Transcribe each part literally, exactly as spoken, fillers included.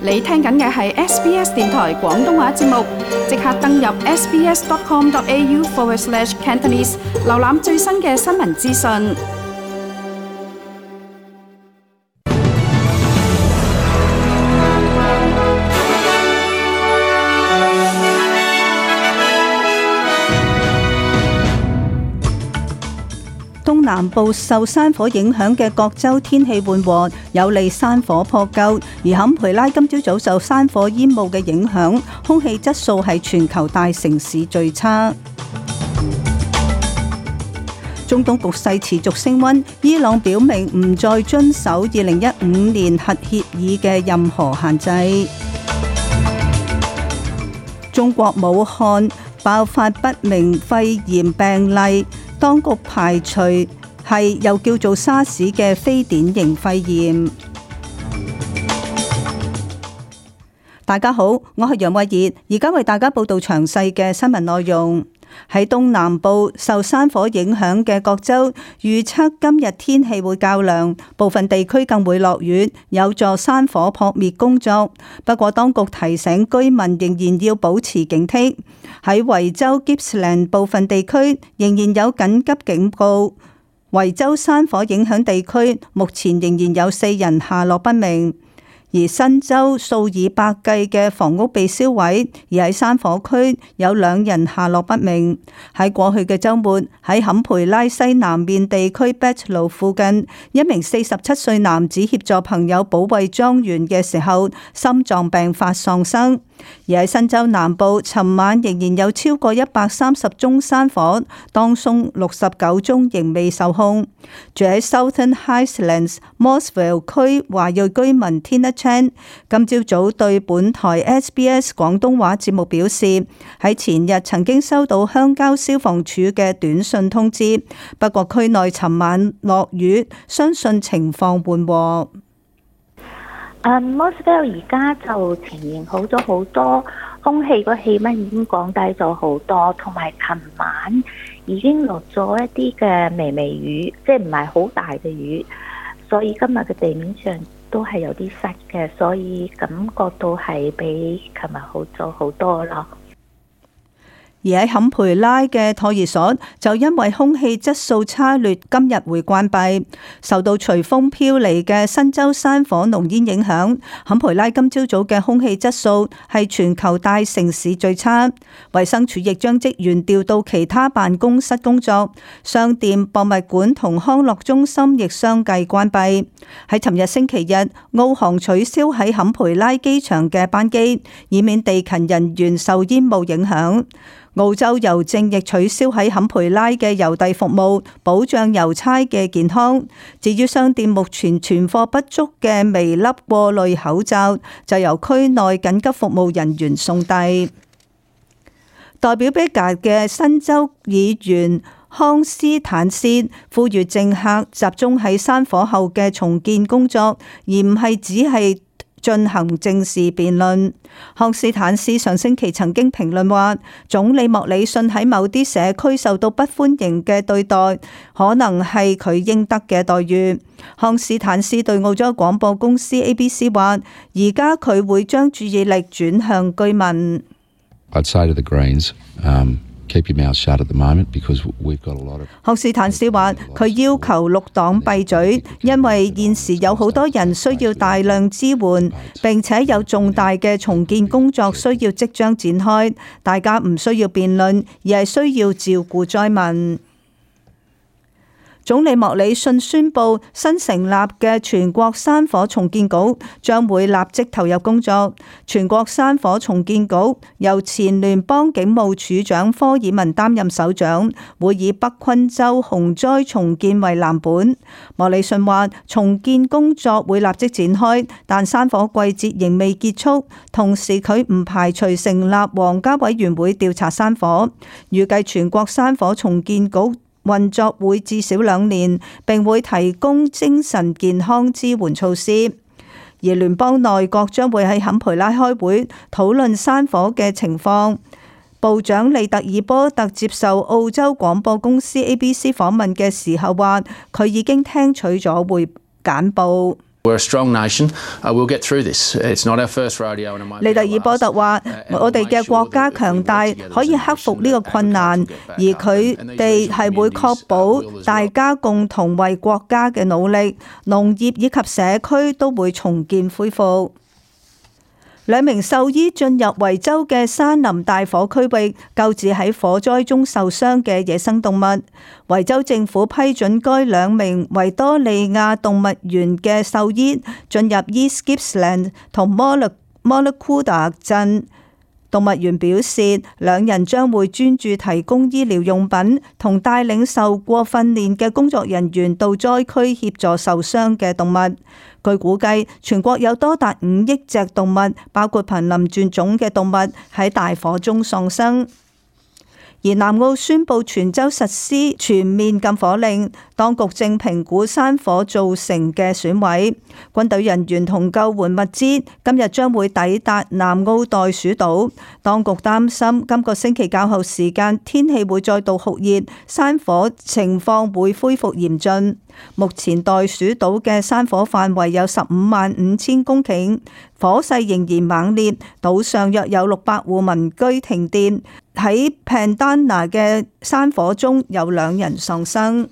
你聽緊嘅係 S B S 電台廣東話節目，即刻登入 sbs.com.au forward slash Cantonese， 瀏覽最新嘅新聞資訊。東南部受山火影響嘅各州天氣緩和，有利山火撲救。而坎培拉今朝早受山火煙霧嘅影響，空氣質素係全球大城市最差。中東局勢持續升溫，伊朗表明唔再遵守二零一五年核協議嘅任何限制。中國武漢爆發不明肺炎病例，當局排除係又叫做沙士嘅非典型肺炎。大家好，我係楊慧儀，而家為大家報道詳細嘅新聞內容。喺東南部受山火影響嘅各州，預測今日天氣會較涼，部分地區更會落雨，有助山火撲滅工作。不過當局提醒居民仍然要保持警惕。喺維州 Gippsland 部分地區仍然有緊急警告。維州山火影響地區目前仍然有四人下落不明。而新州數以百計嘅房屋被燒毀，而喺山火區有兩人下落不明。喺過去嘅週末，喺坎培拉西南面地區 Batlow 附近，一名四十七歲男子協助朋友保衛莊園嘅時候，心臟病發喪生。而喺新州南部，尋晚仍然有超過一百三十宗山火，當中六十九宗仍未受控。住喺 Southern Highlands Mossville 區華裔居民 Tina Chan 今朝早對本台 S B S 廣東話節目表示，喺前日曾經收到鄉郊消防處嘅短信通知，不過區內尋晚落雨，相信情況緩和。誒 Mossville 而家就呈現好咗好多，空氣個氣溫已經降低咗好多，同埋琴晚已經落咗一啲嘅微微雨，即係唔係好大嘅雨，所以今日嘅地面上都係有啲濕嘅，所以感覺到係比琴日好咗好多咯。而喺坎培拉嘅托兒所就因為空氣質素差劣，今日會關閉。受到隨風飄嚟嘅新州山火濃煙影響，坎培拉今朝早嘅空氣質素係全球大城市最差。衛生署亦將職員調到其他辦公室工作，商店、博物館同康樂中心亦相繼關閉。喺尋日星期日，澳航取消喺坎培拉機場嘅班機，以免地勤人員受煙霧影響。澳洲郵政亦取消喺坎培拉嘅郵遞服務，保障郵差嘅健康。至於商店目前存貨不足嘅微粒過濾口罩，就由區內緊急服務人員送遞。代表 Bega 嘅新州議員康斯坦斯呼籲政客集中喺山火後嘅重建工作，而唔係只係進行政治辯論。康斯坦斯上星期曾經評論話，總理莫里遜喺某啲社區受到不歡迎嘅對待，可能係佢應得嘅待遇。康斯坦斯對澳洲廣播公司 A B C 話，而家佢會將注意力轉向居民。I'd say to the Greens, um, keep your mouth shut at the moment because we've got a lot of. 康斯坦斯話：佢要求綠黨閉嘴，因為現時有好多人需要大量支援，並且有重大嘅重建工作需要即將展開。大家唔需要辯論，而係需要照顧災民。總理莫里遜宣布新成立嘅全國山火重建局將會立即投入工作。全國山火重建局由前聯邦警務處長科爾文擔任首長，會以北昆州洪災重建為藍本。莫里遜話重建工作會立即展開，但山火季節仍未結束，同時佢唔排除成立皇家委員會調查山火。預計全國山火重建局運作會至少兩年，並會提供精神健康支援措施。而聯邦內閣將會喺坎培拉開會討論山火嘅情況。部長利特爾波特接受澳洲廣播公司 A B C 訪問嘅時候話，佢已經聽取咗會簡報。We're a strong nation. Uh, we'll get through this. It's not our first rodeo, and it might be our last. 利特爾波特話：我哋嘅國家強大，可以克服呢個困難，而佢哋係會確保大家共同為國家嘅努力，農業以及社區都會重建恢復。兩名獸醫進入維州嘅山林大火區域，救治喺火災中受傷嘅野生動物。維州政府批准該兩名維多利亞動物園嘅獸醫進入 East Gippsland 同 Mollacoota 鎮。動物園表示，兩人將會專注提供醫療用品，同帶領受過訓練嘅工作人員到災區協助受傷嘅動物。據估計，全國有多達五億隻動物，包括瀕臨絕種嘅動物，喺大火中喪生。而南澳宣布全州實施全面禁火令，當局正評估山火造成嘅損毀。軍隊人員同救援物資今日將會抵達南澳袋鼠島。當局擔心今個星期較後時間天氣會再度酷熱，山火情況會恢復嚴峻。目前袋鼠島嘅山火範圍有十五萬五千公頃，火勢仍然猛烈，島上約有六百戶民居停電。喺 Pandana 嘅山火中有兩人喪生。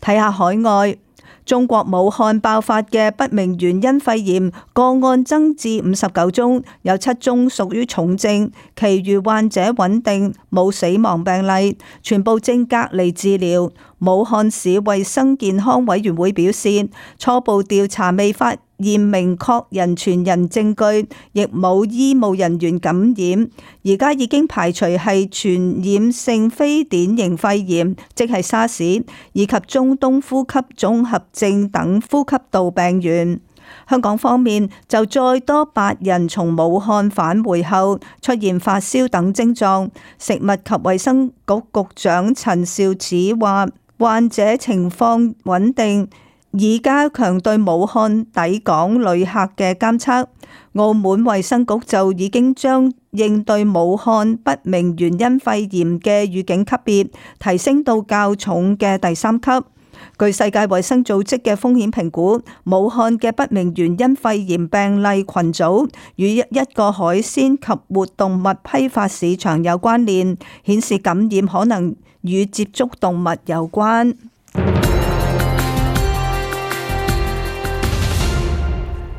睇下海外，中國武漢爆發嘅不明原因肺炎個案增至五十九宗，有七宗屬於重症，其餘患者穩定，冇死亡病例，全部正隔離治療。武漢市衛生健康委員會表示，初步調查未發現明確人傳人證據，亦冇醫務人員感染，而家已經排除係傳染性非典型肺炎，即係沙士，以及中東呼吸綜合症等呼吸道病原。香港方面就再多八人從武漢返回後出現發燒等症狀，食物及衛生局局長陳肇始話，患者情況穩定，已加強對武漢抵港旅客嘅監測。澳門衛生局就已經將應對武漢不明原因肺炎嘅預警級別提升到較重嘅第三級。據世界衛生組織嘅風險評估，武漢嘅不明原因肺炎病例群組與一個海鮮及活動物批發市場有關聯，顯示感染可能與接觸動物有關。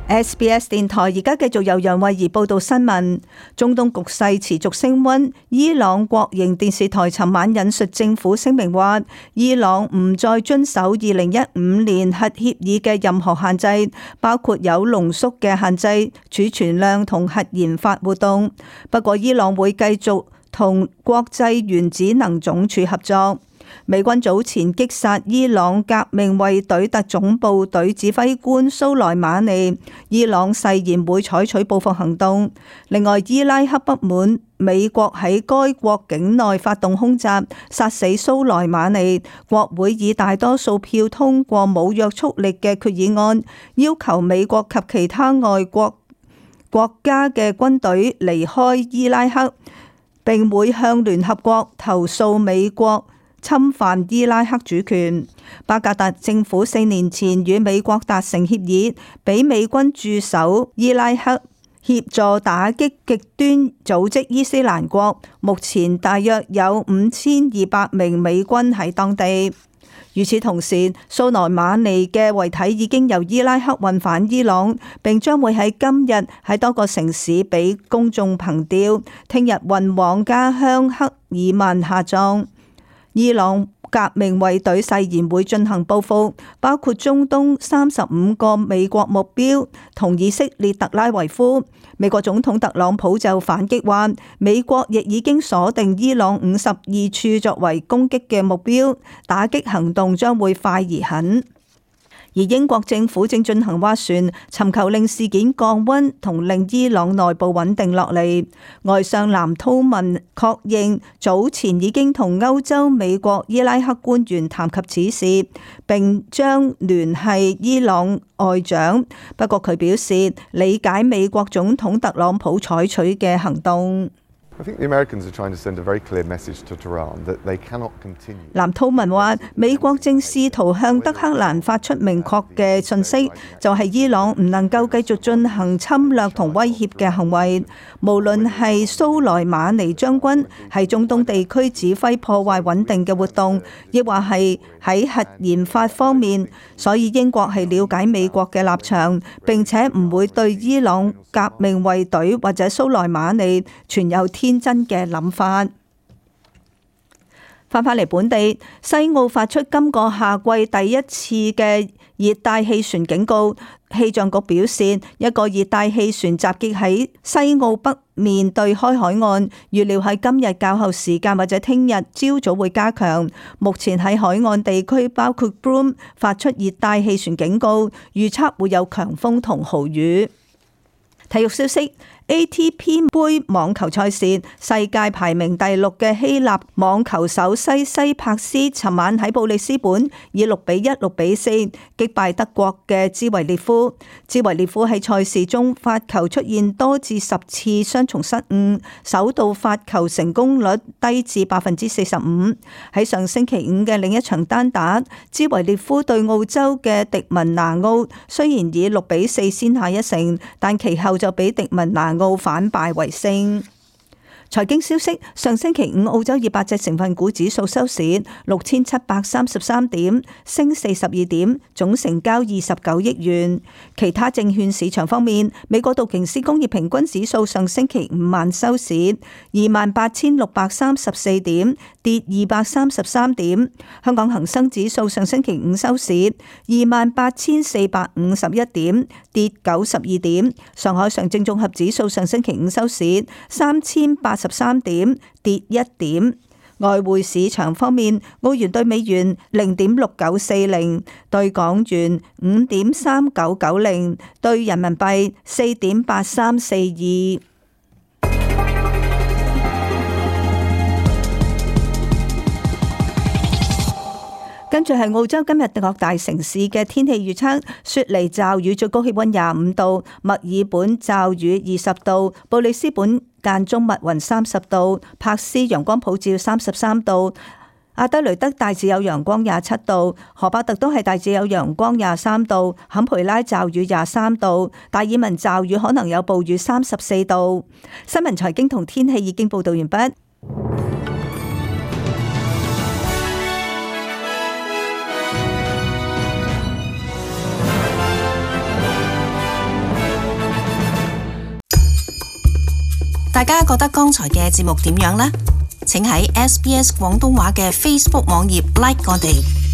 S B S 電台而家繼續由楊慧儀報道新聞。中東局勢持續升溫，伊朗國營電視台尋晚引述政府聲明話，伊朗唔再遵守二零一五年核協議嘅任何限制，包括有濃縮嘅限制、儲存量同核研發活動。不過伊朗會繼續同國際原子能總署合作。美軍早前擊殺伊朗革命衛隊特種部隊指揮官蘇萊馬尼，伊朗誓言會採取報復行動。另外，伊拉克不滿美國喺該國境內發動空襲，殺死蘇萊馬尼，國會以大多數票通過冇約束力嘅決議案，要求美國及其他外國國家嘅軍隊離開伊拉克，並會向聯合國投訴美國侵犯伊拉克主權。巴格達政府四年前與美國達成協議，俾美軍駐守伊拉克，協助打擊極端組織伊斯蘭國。目前大約有五千二百名美軍喺當地。與此同時，蘇萊馬尼嘅遺體已經由伊拉克運返伊朗，並將會喺今日喺多個城市俾公眾憑吊，聽日運往家鄉克爾曼下葬。伊朗革命衛隊誓言會進行報復，包括中東三十五個美國目標同以色列特拉維夫。美國總統特朗普就反擊話，美國亦已經鎖定伊朗五十二處作為攻擊嘅目標，打擊行動將會快而狠。而英國政府正進行斡旋，尋求令事件降溫同令伊朗內部穩定落嚟。外相藍韜文確認早前已經同歐洲、美國、伊拉克官員談及此事，並將聯繫伊朗外長。不過佢表示理解美國總統特朗普採取嘅行動。I think the Americans are trying to send a very clear message to Tehran that they cannot continue. 藍韜文話：美國正試圖向德黑蘭發出明確嘅訊息，就係伊朗唔能夠繼續進行侵略同威脅嘅行為。無論係蘇萊馬尼將軍喺中東地區指揮破壞穩定嘅活動，亦或係喺核研發方面，所以英國係了解美國嘅立場，並且唔會對伊朗革命衛隊或者蘇萊馬尼存有天真嘅諗法。翻返嚟本地，西澳發出今個夏季第一次嘅熱帶氣旋警告。氣象局表示，一個熱帶氣旋集結喺西澳北面對開海岸，預料喺今日較後時間或者聽日朝早會加強。目前喺海岸地區包括 Broome 發出熱帶氣旋警告，預測會有強風同豪雨。體育消息，A T P 杯網球賽事，世界排名第六嘅希臘網球手西西帕斯，尋晚喺布里斯本以六比一、六比四擊敗德國嘅茲維列夫。茲維列夫喺賽事中發球出現多至十次雙重失誤，首度發球成功率低至百分之四十五。喺上星期五嘅另一場單打，茲維列夫對澳洲嘅迪文拿奧，雖然以六比四先下一城，但其後就俾迪文拿奧反敗為勝。財經消息，上星期五澳洲二百隻成分股指數收市六千七百三十三點，升四十二點，總成交二十九億元。其他證券市場方面，美國道瓊斯工業平均指數上星期五晚收市二萬八千六百三十四點，跌二百三十三點。香港恒生指數上星期五收市二萬八千四百五十一點，跌九十二點。上海上證綜合指數上星期五收市三千八十三點，跌一點。外匯市場方面，澳元對美元零點六九四零，對港元五點三九九零，對人民幣四點八三四二。跟住係澳洲今日各大城市嘅天氣預測：雪梨驟雨，最高氣溫廿五度；墨爾本驟雨二十度；布里斯本間中密雲三十度；柏斯陽光普照三十三度；阿德雷德大致有陽光廿七度；荷巴特都係大致有陽光廿三度；坎培拉驟雨廿三度；達爾文驟雨可能有暴雨三十四度。新聞財經同天氣已經報道完畢。大家覺得剛才嘅節目點樣呢？請喺 S B S 廣東話嘅 Facebook 網頁 like 我哋。